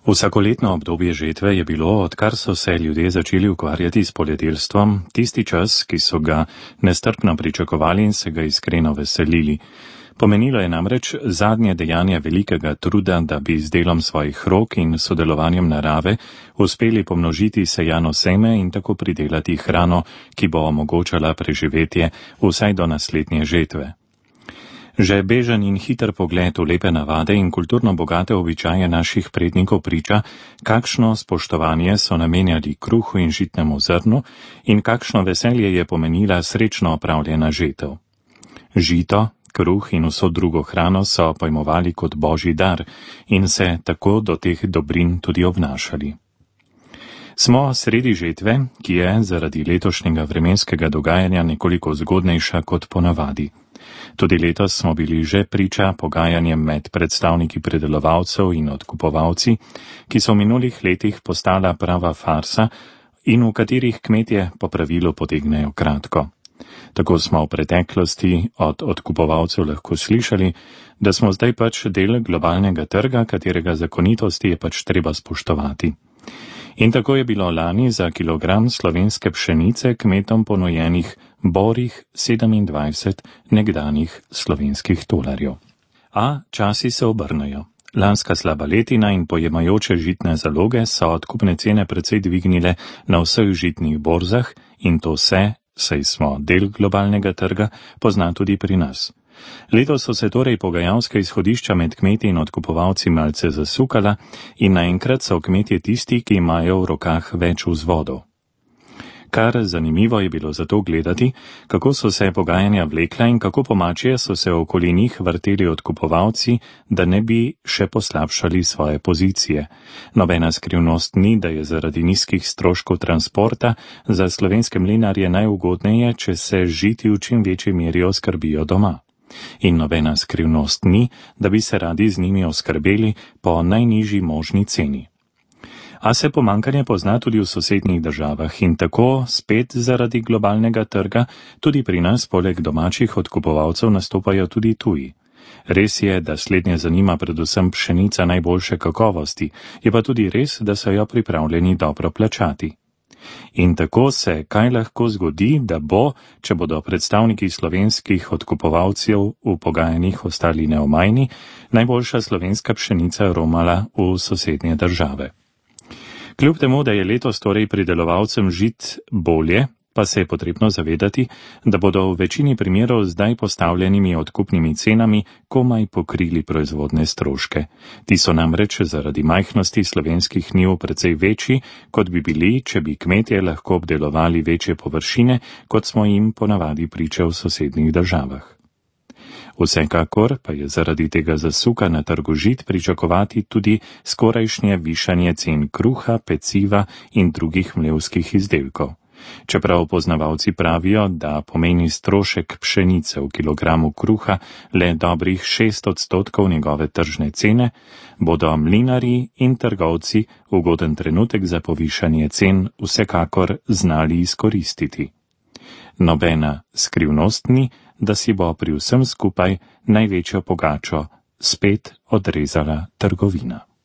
Vsakoletno obdobje žetve je bilo, odkar so se ljudje začeli ukvarjati s poljedelstvom, tisti čas, ki so ga nestrpno pričakovali in se ga iskreno veselili. Pomenilo je namreč zadnje dejanje velikega truda, da bi z delom svojih rok in sodelovanjem narave uspeli pomnožiti sejano seme in tako pridelati hrano, ki bo omogočala preživetje vsaj do naslednje žetve. Že bežen in hiter pogled v lepe navade in kulturno bogate običaje naših prednikov priča, kakšno spoštovanje so namenjali kruhu in žitnemu zrnu in kakšno veselje je pomenila srečno opravljena žetev. Žito, kruh in vso drugo hrano so pojmovali kot božji dar in se tako do teh dobrin tudi obnašali. Smo sredi žetve, ki je zaradi letošnjega vremenskega dogajanja nekoliko zgodnejša kot ponavadi. Tudi letos smo bili že priča pogajanjem med predstavniki predelovalcev in odkupovalci, ki so v minulih letih postala prava farsa in v katerih kmetje po pravilu potegnejo kratko. Tako smo v preteklosti od odkupovalcev lahko slišali, da smo zdaj pač del globalnega trga, katerega zakonitosti je pač treba spoštovati. In tako je bilo lani za kilogram slovenske pšenice kmetom ponujenih borih 27 nekdanjih slovenskih tolarjev. A časi se obrnejo. Lanska slaba letina in pojemajoče žitne zaloge so odkupne cene precej dvignile na vseh žitnih borzah in to se, saj smo del globalnega trga, pozna tudi pri nas. Letos so se torej pogajalska izhodišča med kmeti in odkupovalci malce zasukala in naenkrat so kmetje tisti, ki imajo v rokah več vzvodov. Kar zanimivo je bilo zato gledati, kako so se pogajanja vlekla in kako pomačije so se okoli njih vrteli odkupovalci, da ne bi še poslabšali svoje pozicije. Nobena skrivnost ni, da je zaradi nizkih stroškov transporta za slovenske mlinarje najugodneje, če se žiti v čim večji meri oskrbijo doma. In nobena skrivnost ni, da bi se radi z njimi oskrbeli po najnižji možni ceni. A se pomankanje pozna tudi v sosednjih državah in tako, spet zaradi globalnega trga, tudi pri nas poleg domačih odkupovalcev nastopajo tudi tuji. Res je, da slednje zanima predvsem pšenica najboljše kakovosti, je pa tudi res, da so jo pripravljeni dobro plačati. In tako se kaj lahko zgodi, da bo, če bodo predstavniki slovenskih odkupovalcev v pogajanjih ostali neomajni, najboljša slovenska pšenica romala v sosednje države. Kljub temu, da je letos torej pridelovalcem žit bolje, pa se je potrebno zavedati, da bodo v večini primerov zdaj postavljenimi odkupnimi cenami komaj pokrili proizvodne stroške. Ti so namreč zaradi majhnosti slovenskih njiv precej večji, kot bi bili, če bi kmetje lahko obdelovali večje površine, kot smo jim ponavadi priče v sosednjih državah. Vsekakor pa je zaradi tega zasuka na trgu žit pričakovati tudi skorajšnje višanje cen kruha, peciva in drugih mlevskih izdelkov. Čeprav poznavalci pravijo, da pomeni strošek pšenice v kilogramu kruha le dobrih 6% njegove tržne cene, bodo mlinarji in trgovci ugoden trenutek za povišanje cen vsekakor znali izkoristiti. Nobena skrivnost ni, da si bo pri vsem skupaj največjo pogačo spet odrezala trgovina.